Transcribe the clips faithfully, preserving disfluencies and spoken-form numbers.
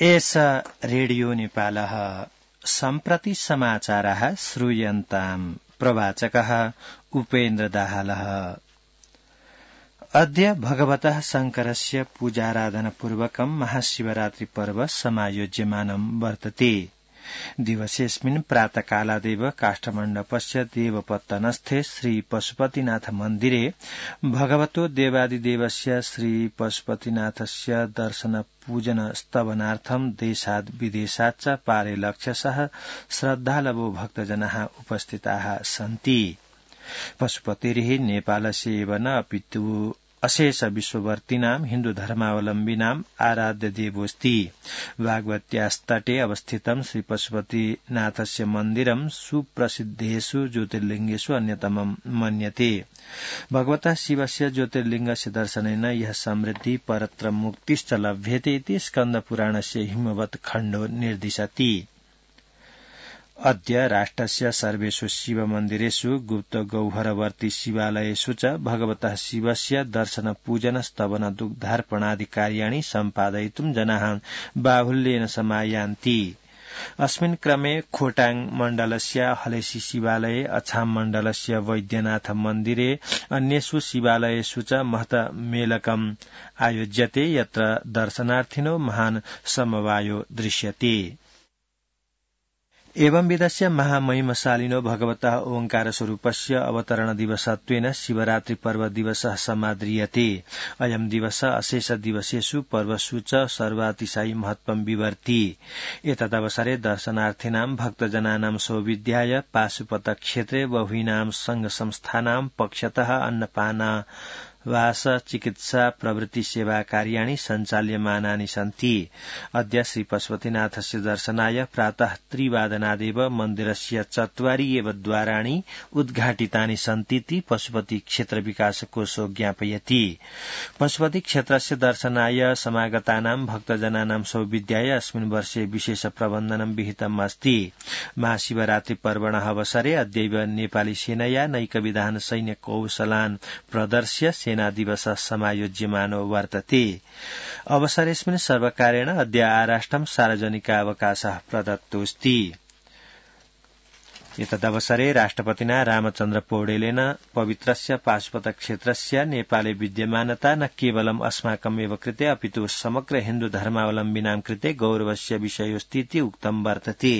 एषा रेडियो नेपालः सम्प्रति समाचारः श्रूयन्ताम् प्रवाचकः उपेन्द्र दाहालः। अद्य भगवतः शङ्करस्य पूजाराधनपूर्वकं महाशिवरात्रि पर्व समायोज्यमानं वर्तते। दिवसेऽस्मिन् प्रातःकालादेव काष्ठमण्डपस्य देवपत्तनस्थे श्री पशुपतिनाथ मन्दिरे भगवतो देवादिदेवस्य श्री पशुपतिनाथस्य दर्शन पूजन स्तवनार्थं देशाद् विदेशात् च पारे लक्ष्यसह श्रद्धालवो भक्तजनाः उपस्थिताः सन्ति। पशुपतिः नेपालस्य एव न अपितु अशेष विश्ववर्तीनां हिन्दू धर्मावलम्बिनां आराध्य देवोऽस्ति। भागवत्यास्तटे अवस्थितं श्री पशुपतिनाथस्य मन्दिरं सुप्रसिद्धेषु ज्योतिर्लिङ्गेषु अन्यतमं मन्यते। भगवतः शिवस्य ज्योतिर्लिङ्गस्य दर्शनेन यः समृद्धि परत्र मुक्तिश्च लभ्यते इति स्कन्दपुराणस्य हिमवत् खण्डो निर्दिशति। अद्य राष्ट्रस्य सर्वेषु शिवमन्दिरेषु गुप्त गौहरवर्ती शिवालयेषु च भगवतः शिवस्य दर्शन पूजन स्तवन दुग्धार्पणादि कार्याणि सम्पादयितुं जनाः बाहुल्येन समायान्ति। अस्मिन् क्रमे खोटाङ मण्डलस्य हलेसी शिवालये, अछाम मण्डलस्य वैद्यनाथ मन्दिरे, अन्येषु शिवालयेषु च महत मेलकम् आयोज्यते, यत्र दर्शनार्थिनो महान् समवायो दृश्यते। एवं विधस्य महामहिमशालिनो भगवतः ओंकार स्वरूपस्य अवतरण दिवसत्वेन शिवरात्रि पर्व दिवसः समाद्रियते। अयं दिवस अशेष दिवसेषु पर्वसु च सर्वातिशायि महत्वं विवर्ति। एतदवसरे दर्शनार्थिनां भक्तजनानां सौविध्याय पाशुपत क्षेत्रे बहूनां संघ संस्थानां पक्षतः अन्नपाना वास चिकित्सा प्रवृत्ति सेवा कार्याणि सञ्चाल्यमानानि सन्ति। अद्य श्री पशुपतिनाथस्य दर्शनाय प्रातः त्रिवादनादेव मन्दिरस्य चत्वारि एव द्वाराणि उद्घाटितानि सन्तीति पशुपति क्षेत्र विकास कोशो ज्ञापयति। पशुपति क्षेत्रस्य दर्शनाय समागतानां भक्तजनानां सौविध्याय अस्मिन् वर्षे विशेष प्रबन्धनं विहितम् अस्ति। महाशिवरात्रि पर्वणः अवसरे अद्यैव नेपाली सेनया नैकविधान सैन्य कौशलान् प्रदर्श्य सेना दिवस समायोज्यमानो वर्तते। अवसरेऽस्मिन् सर्वकारेण अद्य आराष्ट्रं सार्वजनिकावकाशः प्रदत्तोऽस्ति। एतदवसरे राष्ट्रपतिना रामचन्द्र पौडेलेन पवित्रस्य पाशुपत क्षेत्रस्य नेपाले विद्यमानता न केवलम् अस्माकमेव कृते अपितु समग्र हिन्दू धर्मावलम्बिनां कृते गौरवस्य विषयोऽस्ति इति उक्तं वर्तते।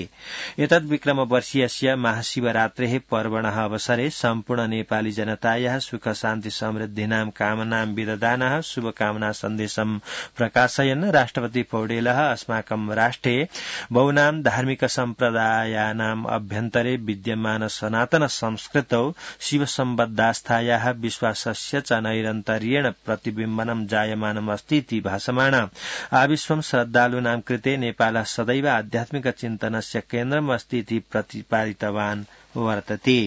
एतद् विक्रमवर्षीयस्य महाशिवरात्रेः पर्वणः अवसरे सम्पूर्ण नेपाली जनतायाः सुख शान्ति समृद्धिनां कामनां विदधानः शुभकामना सन्देशं प्रकाशयन् राष्ट्रपति पौडेलः अस्माकं राष्ट्रे बहुनां धार्मिक सम्प्रदायानाम् अभ्यन्तरे विद्यमान सनातन संस्कृतौ शिवसम्बद्धास्थायाः विश्वासस्य च नैरन्तर्येण प्रतिबिम्बनं जायमानम् अस्ति इति भासमाण आविश्वं श्रद्धालूनां कृते नेपालः सदैव आध्यात्मिक चिन्तनस्य केन्द्रम् अस्ति इति प्रतिपादितवान् वर्तते।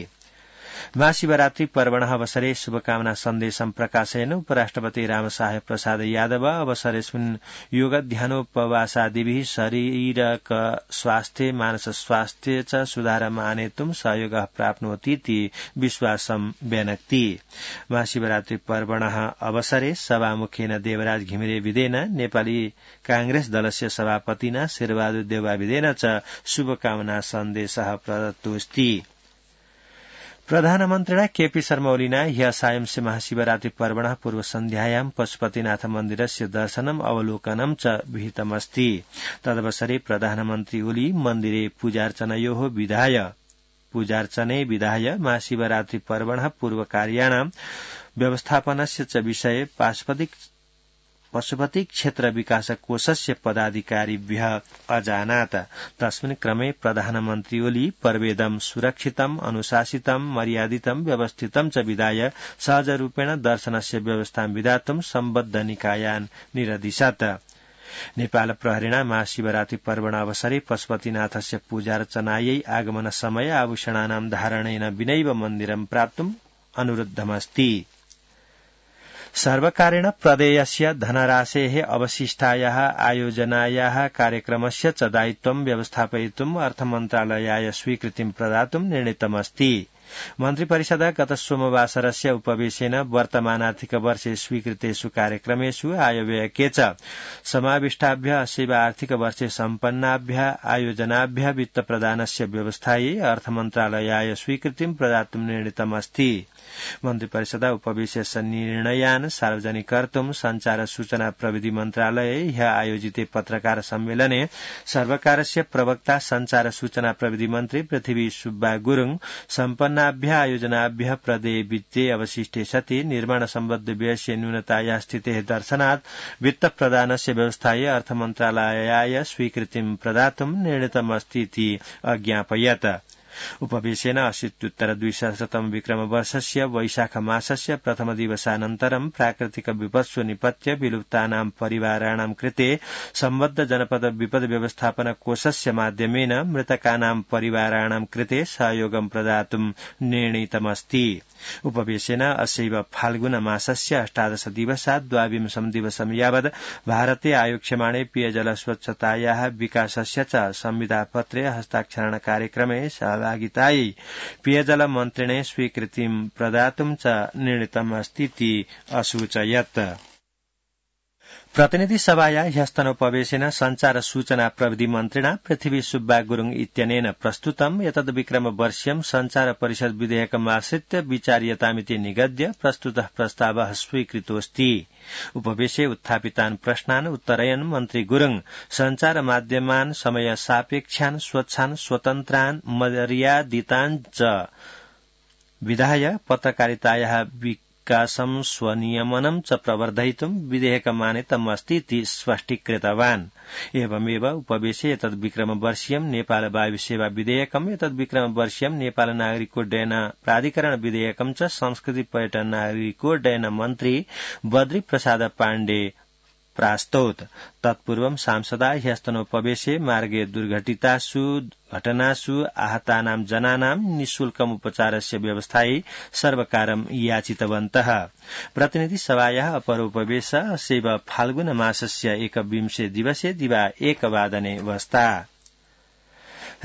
महाशिवरात्रि पर्वणः अवसरे शुभकामना सन्देशं प्रकाशयन् उपराष्ट्रपति रामसाहेब प्रसाद यादव अवसरेऽस्मिन् योगध्यानोपवासादिभिः शारीरिक स्वास्थ्ये मानस स्वास्थ्ये च सुधारम् आनेतुं सहयोगः प्राप्नोति इति विश्वासं व्यनक्ति। महाशिवरात्रि पर्वणः अवसरे सभामुखेन देवराज घिमिरे विदेन नेपाली कांग्रेस दलस्य सभापतिना शेरबहादुर देउवा विदेन च शुभकामना सन्देशः प्रदत्तोऽस्ति। प्रधानमन्त्रिणा केपी शर्मा ओलीना ह्यः सायंस्य महाशिवरात्रि पर्वणः पूर्वसन्ध्यायां पशुपतिनाथ मन्दिरस्य दर्शनम् अवलोकनं च विहितमस्ति। तदवसरे प्रधानमन्त्री ओली मन्दिरे पूजार्चनयोः विधाय पूजार्चने विधाय महाशिवरात्रि पर्वणः पूर्वकार्याणां व्यवस्थापनस्य च विषये पाशुपति पशुपति क्षेत्र विकास कोषस्य पदाधिकारिभ्यः अजानात्। तस्मिन् क्रमे प्रधानमन्त्री ओली पर्वेदं सुरक्षितम् अनुशासितं मर्यादितं व्यवस्थितं च विधाय सहजरूपेण दर्शनस्य व्यवस्थां विधातुं सम्बद्ध निकायान् निरदिशत्। नेपाल प्रहरीणा महाशिवरात्रि पर्वणावसरे पशुपतिनाथस्य पूजार्चनायै आगमन समय आभूषणानां धारणेन विनैव मन्दिरं प्राप्तुम् अनुरुद्धमस्ति। सर्वकारेण प्रदेयस्य धनराशेः अवशिष्टायाः आयोजनायाः कार्यक्रमस्य च दायित्वं व्यवस्थापयितुम् अर्थमन्त्रालयाय स्वीकृतिं प्रदातुं निर्णीतमस्ति। मन्त्री परिषद गत सोमवासरस्य उपवेशेन वर्तमानार्थिक वर्षे स्वीकृतेषु कार्यक्रमेषु आयव्ययके च समाविष्टाभ्य अस्यैव आर्थिक वर्षे सम्पन्नाभ्य आयोजनाभ्य वित्तप्रदानस्य व्यवस्थायै अर्थमन्त्रालयाय स्वीकृतिं प्रदातुं निर्णीतमस्ति। मन्त्रिपरिषद उपवेशस्य निर्णयान् सार्वजनिकर्तुं संचार सूचना प्रविधि मन्त्रालये ह्य आयोजिते पत्रकार सम्मेलने सर्वकारस्य प्रवक्ता संचार सूचना प्रविधि मन्त्री पृथ्वी सुब्बा गुरुङ सम्पन्नाभ्य आयोजनाभ्य प्रदेय वित्ते अवशिष्टे सति निर्माण सम्बद्ध व्ययस्य न्यूनताया स्थितेः दर्शनात् वित्त प्रदानस्य व्यवस्थायै अर्थमन्त्रालयाय स्वीकृतिं प्रदातुं निर्णीतमस्ति इति अज्ञापयत्। उपवेशेन अशीत्युत्तर द्विसहस्रतम विक्रम वर्षस्य वैशाख मासस्य प्रथम दिवसानन्तरं प्राकृतिक विपत्सु निपत्य विलुप्तानां परिवाराणां कृते सम्बद्ध जनपद विपद व्यवस्थापन कोषस्य माध्यमेन मृतकानां परिवाराणां कृते सहयोगं प्रदातुं निर्णीतमस्ति। उपवेशेन अस्यैव फाल्गुन मासस्य अष्टादश दिवसात् द्वाविंशं दिवसं यावत् भारते आयोक्ष्यमाणे पेयजल स्वच्छतायाः विकासस्य च संविदापत्रे हस्ताक्षरण कार्यक्रमे सहभागितायै पेयजल मन्त्रिणे स्वीकृतिं प्रदातुं च निर्णीतमस्तीति असूचयत्। प्रतिनिधि सभाया ह्यस्तनोपवेशेन संचार सूचना प्रविधि मन्त्रिणा पृथ्वी सुब्बा गुरुङ इत्यनेन प्रस्तुतं एतद् विक्रम वर्ष्यं संचार परिषद विधेयकमाश्रित्य विचार्यतामिति निगद्य प्रस्तुतः प्रस्तावः स्वीकृतोऽस्ति। उपवेशे उत्थापितान् प्रश्नान् उत्तरयन् मन्त्री गुरुङ संचार माध्यमान् समय सापेक्षान् स्वच्छान् स्वतन्त्रान् मर्यादितान् च विधाय पत्रकारितायाः विकासं स्वनियमनं च प्रवर्धयितुं विधेयकमानीतमस्ति इति स्पष्टीकृतवान्। एवमेव उपवेशे एतद् विक्रम वर्ष्यं नेपाल वायु सेवा विधेयकम् एतद् विक्रम वर्ष्यं नेपाल नागरिकोड्डयन प्राधिकरण विधेयकं च संस्कृति पर्यटन नागरिकोड्डयन मन्त्री बद्री प्रसाद पाण्डे प्रास्तौत्। तत्पूर्वं सांसदा ह्यस्तनोपवेशे मार्गे दुर्घटितासु घटनासु आहतानां जनानां निःशुल्कम् उपचारस्य व्यवस्थायै सर्वकारं याचितवन्तः। प्रतिनिधि सभायाः अपरोपवेश अस्यैव फाल्गुन मासस्य एकविंशे दिवसे दिवा एकवादने वस्ता।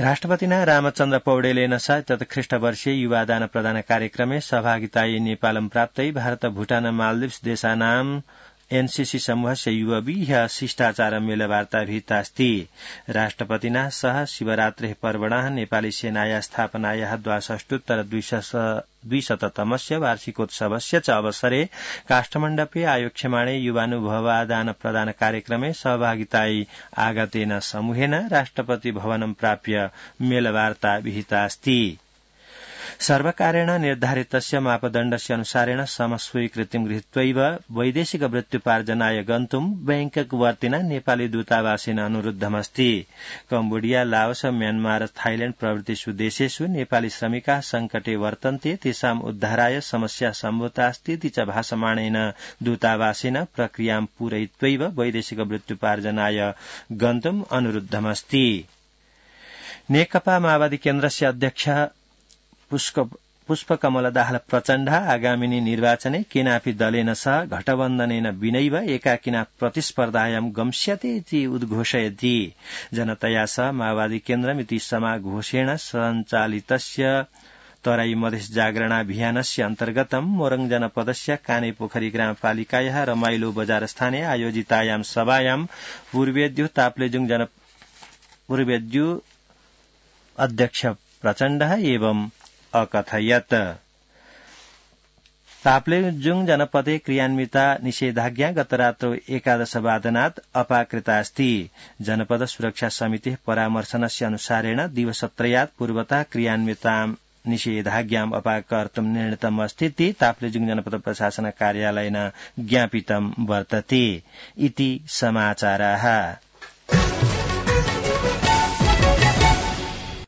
राष्ट्रपतिना रामचन्द्र पौडेलेन स तत्ख्रीष्टवर्षे युवादान प्रदान कार्यक्रमे सहभागितायै नेपालं प्राप्तै भारत भूटान मालदीव्स देशानां एनसीसी समूहस्य युवभिः शिष्टाचार मेलवार्ता भीतास्ति। राष्ट्रपतिना सह शिवरात्रेः पर्वणः नेपाली सेनाया स्थापनायाः द्वाषष्टोत्तर द्विशततमस्य वार्षिकोत्सवस्य च अवसरे काष्ठमण्डपे आयोक्ष्यमाणे युवानुभवादान प्रदान कार्यक्रमे सहभागितायै आगतेन समूहेन राष्ट्रपति भवनं प्राप्य मेलवार्ता विहितास्ति। सर्वकारेण निर्धारितस्य मापदण्डस्य अनुसारेण समस्वीकृतिं गृहीत्वैव वैदेशिक वृत्त्युपार्जनाय गन्तुं बैंककवर्तिना नेपाली दूतावासेन अनुरुद्धमस्ति। कम्बोडिया लाओस म्यानमार थाइल्याण्ड प्रभृतिषु देशेषु नेपाली श्रमिकाः संकटे वर्तन्ते तेषाम् उद्धाराय समस्या सम्भूतास्ति इति च भाषमाणेन दूतावासेन प्रक्रियां पूरयित्वैव वैदेशिक वृत्त्युपार्जनाय गन्तुम् अनुरुद्धमस्ति। नेकपा माओवादी केन्द्रस्य अध्यक्ष पुष्पकमल दाहाल प्रचण्ड आगामिनी निर्वाचने केनापि दलेन सह घटबन्धनेन विनैव एकाकिना प्रतिस्पर्धायां गम्स्यते इति उद्घोषयति। जनतया सह माओवादी केन्द्रमिति समाघोषेण सञ्चालितस्य तराई मधेस जागरणाभियानस्य अन्तर्गतं मोरङ जनपदस्य कानेपोखरी ग्रामपालिकायाः रमाइलो बजार स्थाने आयोजितायां सभायां पूर्वेद्यु ताप्लेजुङ जन पूर्वेद्यु अध्यक्ष प्रचण्ड एवं अकथयत्। ताप्लेजुङ जनपदे क्रियान्विता निषेधाज्ञा गतरात्रौ एकादशवादनात् अपाकृतास्ति। जनपद सुरक्षा समितिः परामर्शनस्य अनुसारेण दिवसत्रयात् पूर्वतः क्रियान्वितां निषेधाज्ञाम् अपाकर्तुं निर्णीतमस्ति इति ताप्लेजुङ जनपद प्रशासन कार्यालयेन ज्ञापितं वर्तते इति समाचाराः।